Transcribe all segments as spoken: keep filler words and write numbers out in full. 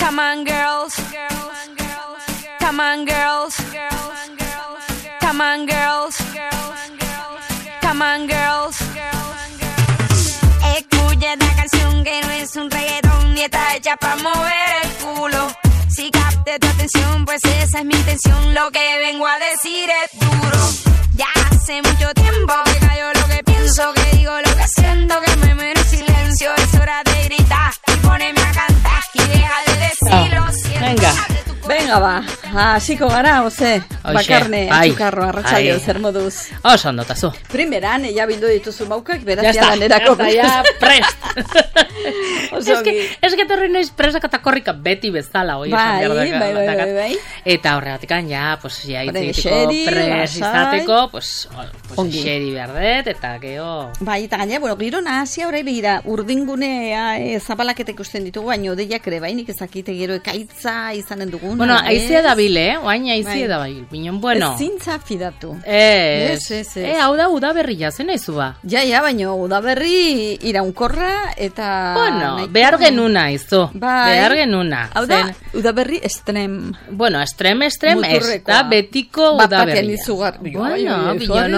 Come on, girls. Come on, girls. Come on, girls. Come on, girls. Escucha esta canción que no es un reggaetón ni está hecha para mover el culo. Si capte tu atención, pues esa es mi intención. Lo que vengo a decir es duro. Ya hace mucho tiempo que callo lo que pienso, que digo lo que siento, que me muero en silencio. Es hora de gritar y ponerme a cantar y deja de decirlo. Oh, venga, venga ba, hasiko gara, oze, bakarne, atxukarro, arratsaleo, zer moduz. Oso ondo, tazu. Primeran, ella bildu dituzu maukak, beraz ya lanerako. Ya está, ya prest. Es que, es que torri noiz presak eta korrika beti bezala, oi, esan behar daka. Bai, bai, bai, bai. Eta horregatikan, ja, pues, ja, itzegiteko pres izateko, pues, pues, xeri behar dut, eta geho... Bai, eta gaina, bueno, giro nahazia horrei behira, urdingunea e, zapalaketek usten ditugu, baina odeiak ere, bai, nik ezakite gero ekaitza izanen dugun. Bueno, aizia da bil, eh? Oain aizia da bil, bineon, bueno. Ez zintza fidatu. Ez, ez, ez. E, hau da udaberria, zen aizu ba? Ja, ja, baina udaberri iraunkorra, eta... Bueno, behar genuna, izu. Bai. Behar genuna. Hau da, udaberri estrem. Bueno, estrem, estrem, ez da betiko udaberria. Bapaten izugarri. Bueno, bineon,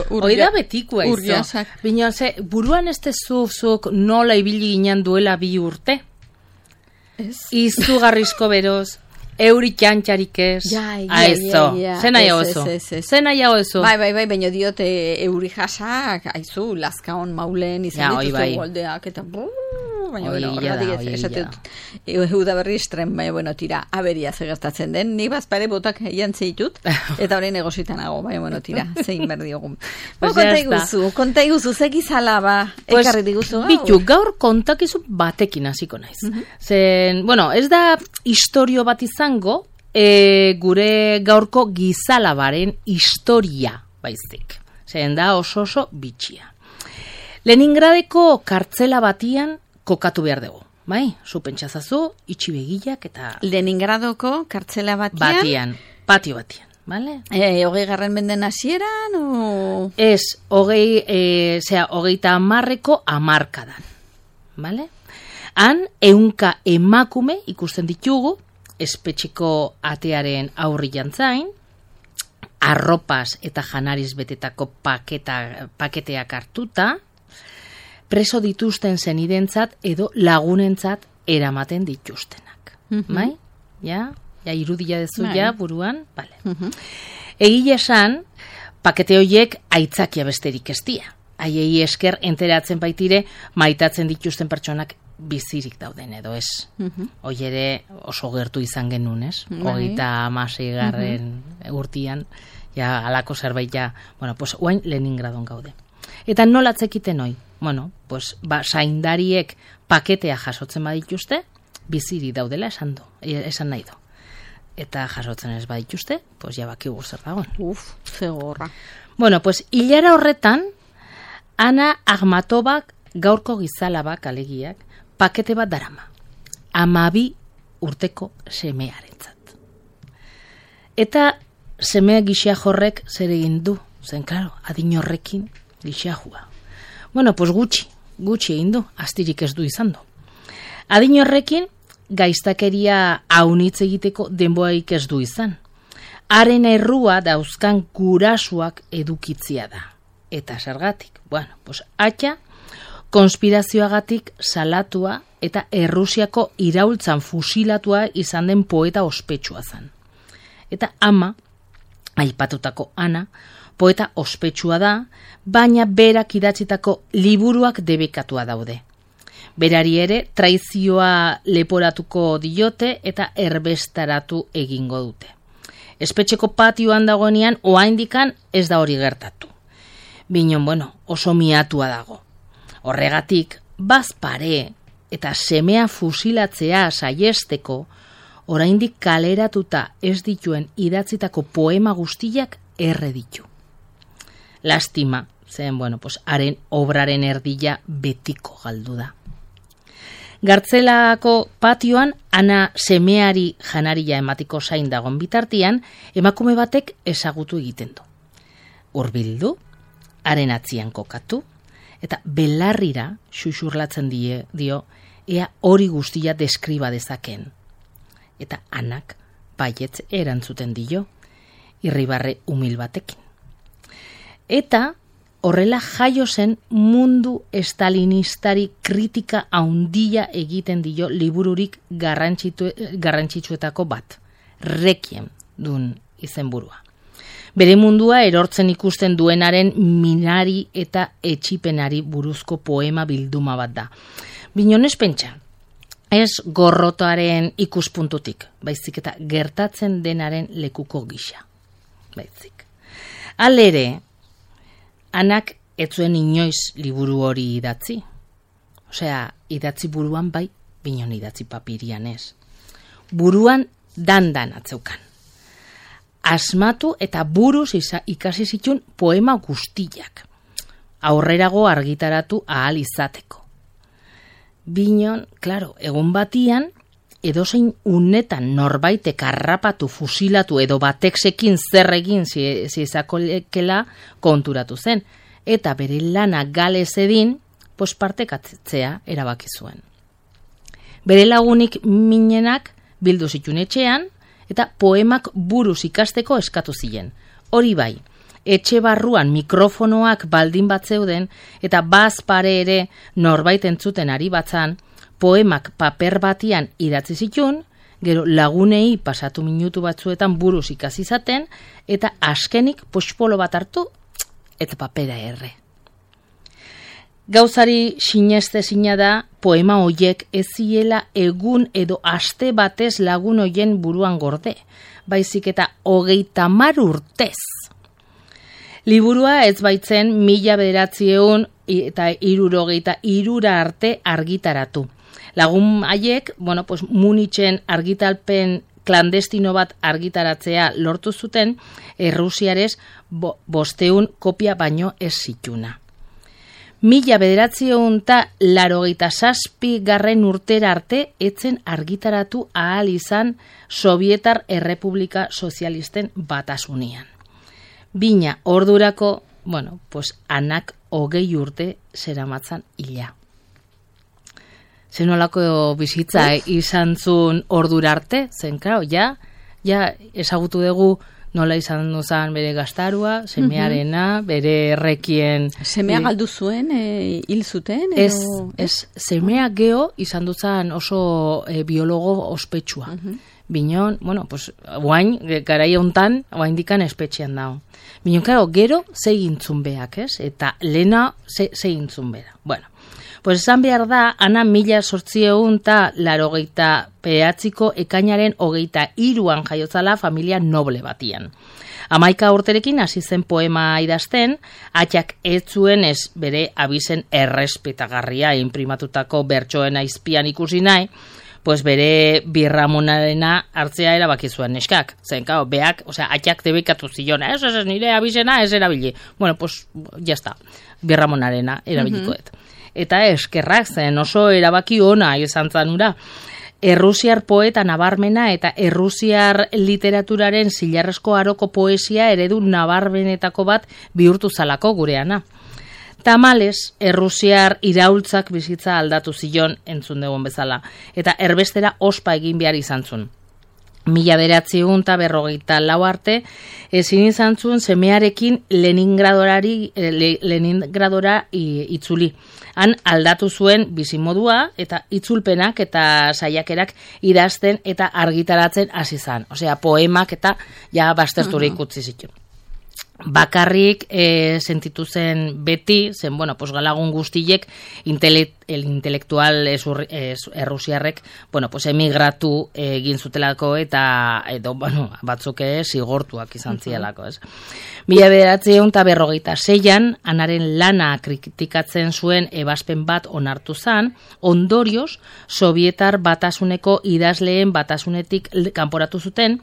hoi da betikoa izu. Bineon, ze, buruan ez tezuzuk nola ibili ginen duela bi urte? Ez. Izugarrizko beroz. Euri txantxarik ez. Ja, ja, aizo. ja, ja. Zen nahiago eso. Zen nahiago eso. Bai, bai, bai, baina diote euri jasak, aizu, laskaon maulen izan ja, dituzu bai. goldeak, eta brrr, baina Oi, bueno, ja horregatik da, ez, oi, esatut, euda berri estren, baina bueno, tira, aberia zegertatzen den, ni bazpare botak jantzi ditut, eta horrein egositanago, baina bueno, tira, zein berdiogun. Pues konta iguzu, konta iguzu, zegizala ba, pues, ekarri diguzu. Bitu, gaur kontakizu batekin hasiko naiz. Uh-huh. Zen, bueno, ez da historio bat izango, E, gure gaurko gizalabaren historia baizik. Zen da oso oso bitxia. Leningradeko kartzela batian kokatu behar dugu. Bai, zu pentsazazu, itxi begilak eta... Leningradoko kartzela batian? Batian, patio batian. Vale? E, hogei garren menden hasieran o... Ez, hogei, e, zera, hogeita amarreko amarkadan. Vale? Han, eunka emakume ikusten ditugu, espetxeko atearen aurri jantzain, arropaz eta janariz betetako paketa, paketeak hartuta, preso dituzten zenidentzat edo lagunentzat eramaten dituztenak. Mm-hmm. Bai? Ja? Ja, irudia dezu ja, buruan? Vale. Mm-hmm. Egile esan, pakete horiek aitzakia besterik ez dira. Haiei esker enteratzen baitire maitatzen dituzten pertsonak bizirik dauden edo ez. Uh-huh. Hoi ere oso gertu izan genuen, ez? Hogeita hamasei garren uh-huh. urtian, ja, alako zerbait ja, bueno, pues, oain Leningradon gaude. Eta nola atzekiten hoi? Bueno, pues, ba, zaindariek paketea jasotzen badituzte, bizirik daudela esan du, esan nahi du. Eta jasotzen ez badituzte, pues, ja bakigu zer dagoen. Uf, zegorra. Bueno, pues, hilara horretan, Ana Akhmatobak gaurko gizalabak alegiak, pakete bat darama, amabi urteko semearentzat. Eta semea gixea jorrek zer egin du, zen, klaro, adin horrekin gixea jua. Bueno, pues gutxi, gutxi egin du, astirik ez du izan du. Adin horrekin gaiztakeria haunitz egiteko denboaik ez du izan. Haren errua dauzkan gurasuak edukitzia da. Eta zergatik, bueno, pues atxa, konspirazioagatik salatua eta Errusiako iraultzan fusilatua izan den poeta ospetsua zen. Eta ama, aipatutako Ana, poeta ospetsua da, baina berak idatzitako liburuak debekatua daude. Berari ere traizioa leporatuko diote eta erbestaratu egingo dute. Espetxeko patioan dagoenean oraindikan ez da hori gertatu. Binon, bueno, oso miatua dago. Horregatik, bazpare eta semea fusilatzea saiesteko, oraindik kaleratuta ez dituen idatzitako poema guztiak erre ditu. Lastima, zen, bueno, pues, haren obraren erdila betiko galdu da. Gartzelako patioan, Ana semeari janaria ematiko zain dagon bitartian, emakume batek ezagutu egiten du. Hurbildu, haren atzian kokatu, eta belarrira xuxurlatzen die, dio, ea hori guztia deskriba dezaken. eta Anak baietz erantzuten dio, irribarre umil batekin. Eta horrela jaio zen mundu estalinistari kritika haundia egiten dio libururik garrantzitsuetako bat, Requiem dun izenburua. Bere mundua erortzen ikusten duenaren minari eta etxipenari buruzko poema bilduma bat da. Binonez pentsa, ez gorrotoaren ikuspuntutik, baizik eta gertatzen denaren lekuko gisa. Baizik. Halere, Anak ez zuen inoiz liburu hori idatzi. Osea, idatzi buruan bai, binon idatzi papirian ez. Buruan dandan atzeukan. Asmatu eta buruz ikasi zitun poema guztiak. Aurrerago argitaratu ahal izateko. Binon, klaro, egun batian, edozein unetan norbaitek harrapatu, fusilatu edo bateksekin zer egin zizakolekela konturatu zen. Eta bere lana galez edin, pos partekatzea erabaki zuen. Bere lagunik minenak bildu zitun etxean, eta poemak buruz ikasteko eskatu ziren. Hori bai, etxe barruan mikrofonoak baldin bat zeuden, eta baz pare ere norbait entzuten ari batzan, poemak paper batian idatzi zitun, gero lagunei pasatu minutu batzuetan buruz ikasi zaten, eta askenik pospolo bat hartu, eta papera erre. Gauzari sineste zina da, poema hoiek ez ziela egun edo aste batez lagun hoien buruan gorde, baizik eta hogeita hamar urtez. Liburua ez baitzen mila bederatzieun eta hirurogeita hirura arte argitaratu. Lagun haiek, bueno, pues Munitzen argitalpen klandestino bat argitaratzea lortu zuten, Errusiarez bo, bosteun kopia baino ez zituna. Mila bederatziehun eta laurogeita zazpi garren urtera arte etzen argitaratu ahal izan Sobietar Errepublika Sozialisten Batasunian. Bina ordurako, bueno, pues Anak hogei urte zeramatzan hila. Zenolako bizitza eh, izan zuen ordura arte, zen, klaro, ja, ja ezagutu dugu nola izan duzan bere gaztarua, semearena, bere errekien... Semea galdu zuen, e, hil zuten? Ez, ez, semea geho izan duzan oso e, biologo ospetsua. Uh-huh. Binon, bueno, pues, guain, garai hontan, guain dikan espetxean dago. Binon, karo, gero, zegintzun beak, ez? Eta lena, zegintzun bera. Bueno, pues esan behar da, Ana mila sortzieun eta larogeita peatziko ekainaren hogeita iruan jaiotzala familia noble batian. Hamaika urterekin hasi zen poema idazten, atxak ez zuen ez bere abizen errespetagarria inprimatutako bertsoen aizpian ikusi nahi, pues bere birramonarena hartzea erabaki zuen neskak. Zen, kao, beak, osea, atxak debekatu zion, ez, ez, nire abizena ez erabili. Bueno, pues, jazta, birramonarena erabilikoet. Uh-huh. Eta eskerrak zen oso erabaki ona izan zanura. Errusiar poeta nabarmena eta errusiar literaturaren zilarrezko aroko poesia eredu nabarmenetako bat bihurtu zalako gureana. Tamales, errusiar iraultzak bizitza aldatu zion entzun dugun bezala, eta erbestera ospa egin behar izan zuen. Mila beratziehun eta berrogeita lau arte, ezin izan zuen semearekin Leningradorari, Leningradora itzuli. Han aldatu zuen bizimodua eta itzulpenak eta saiakerak idazten eta argitaratzen hasi zan. Osea, poemak eta ja baztertura ikutzi zituen. Bakarrik e, sentitu zen beti, zen, bueno, pues galagun guztiek intele, el intelektual esur, es, errusiarrek, bueno, pues emigratu egin zutelako eta edo, bueno, batzuk zigortuak izan zielako, ez. Mila bederatziehun eta berrogeita seian, Anaren lana kritikatzen zuen ebazpen bat onartu zan, ondorioz, Sobietar Batasuneko idazleen batasunetik kanporatu zuten,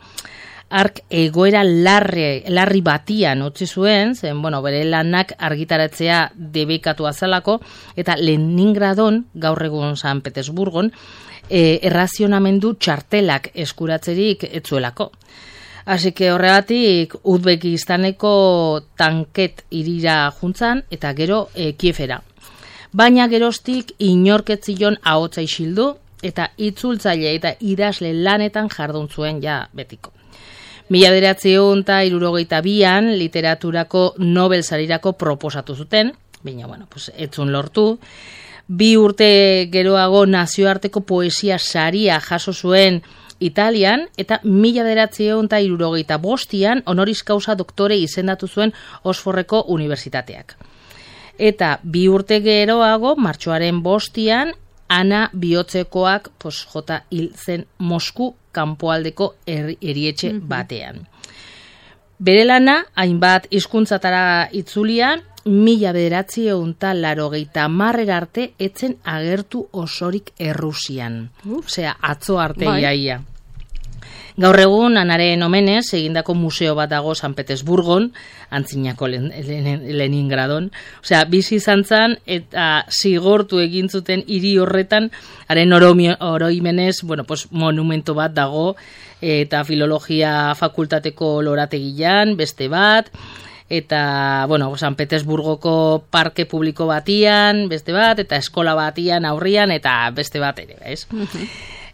ark egoera larri, larri batian utzi zuen, zen, bueno, bere lanak argitaratzea debekatu azalako, eta Leningradon, gaur egun San Petersburgon, e, errazionamendu txartelak eskuratzerik etzuelako. Así que horregatik Uzbekistaneko tanket irira juntzan, eta gero e, Kiefera. Baina geroztik inorketzion ahotza isildu, eta itzultzaile eta idazle lanetan jardun zuen ja betiko. Mila bederatziehun eta hirurogeita bian literaturako Nobel sarirako proposatu zuten, baina, bueno, pues, etzun lortu. Bi urte geroago nazioarteko poesia saria jaso zuen Italian, eta mila bederatziehun eta hirurogeita bostian honoris causa doktore izendatu zuen Oxfordeko unibertsitateak. Eta bi urte geroago, martxoaren bostian, Ana bihotzekoak pos, jota hil zen Mosku kanpoaldeko er, erietxe batean. Bere lana, hainbat hizkuntzatara itzulia, mila bederatziehun eta laurogeita hamarrera arte etzen agertu osorik Errusian. Osea, atzo arte bai. Iaia. Gaur egun, Anaren omenez, egindako museo bat dago San Petersburgon, antzinako len, len, Leningradon. Osea, bizi izan zan eta zigortu egin zuten hiri horretan, haren oroimenez, bueno, pues, monumento bat dago, eta filologia fakultateko lorategian, beste bat, eta, bueno, San Petersburgoko parke publiko batian, beste bat, eta eskola batian aurrian, eta beste bat ere, ez?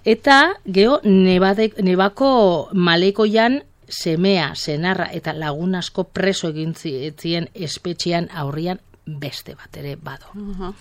Eta, geho, nebade, nebako malekoian semea, senarra eta lagun asko preso egin zien espetxean aurrian beste bat ere bado. Uh-huh.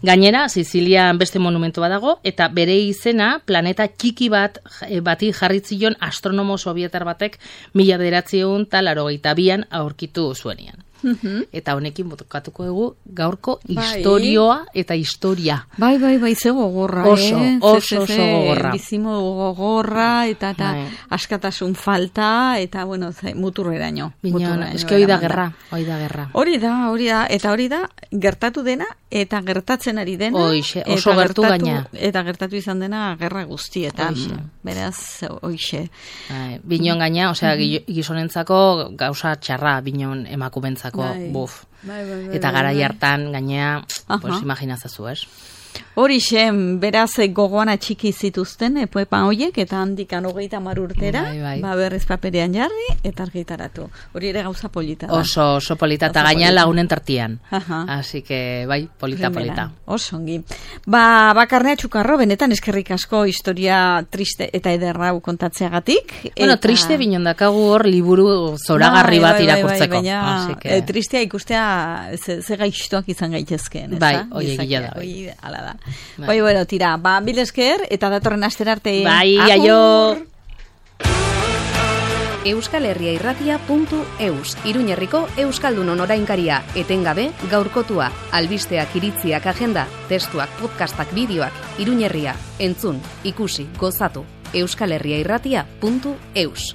Gainera, Sizilian beste monumento badago, eta bere izena planeta txiki bat bati jarritzion astronomo sovietar batek mila bederatziehun eta laurogeita bian aurkitu zuenian. Uh-huh. Eta honekin botokatuko dugu gaurko bai. Historioa eta historia. Bai, bai, bai, ze gogorra, oso, eh? Oso, oso gogorra. Bizimo gogorra, eta, eta bai. Askatasun falta, eta, bueno, muturreraino. Bineon, eske hori da gerra, hori da gerra. Hori da, hori da, eta hori da, gertatu dena, eta gertatzen ari dena. Oixe, oso gertu gaina. Eta gertatu izan dena gerra guztietan. Oixe. Beraz, oixe. Bineon gaina, osea, mm-hmm. gizonentzako gauza txarra, bineon emakumentzako. Bai. Buf. Bai, bai, bai, eta gara hartan gainea, pues imaginazazu, ez? Hori xen, beraz gogoana txiki zituzten, poepa hoiek, eta handikan hogeita hamar urtera, bai, bai. Ba berriz paperean jarri, eta argitaratu. Hori ere gauza polita da. Oso, oso polita, eta gaina lagunen tartian. Aha. Así que, bai, polita, Primera. Polita. Oso ongi. Ba, bakarnea txukarro, benetan eskerrik asko historia triste eta ederrau kontatzeagatik. Bueno, eta... triste binondakagu hor liburu zoragarri bat bai, irakurtzeko. Bai, bai, baina, que... e, tristea ikustea ze, ze gaixtuak izan gaitezkeen. Bai, oie gila da. Oi, ala da. Bai, bai, bueno, tira, ba, bil esker, eta datorren astera arte. Bai, aio! euskal herria irratia puntu eus, Iruñerriko Euskaldunon orainkaria, etengabe gaurkotua, albisteak, iritziak, agenda, testuak, podcastak, bideoak, Iruñerria, entzun, ikusi, gozatu, euskal herria irratia puntu eus.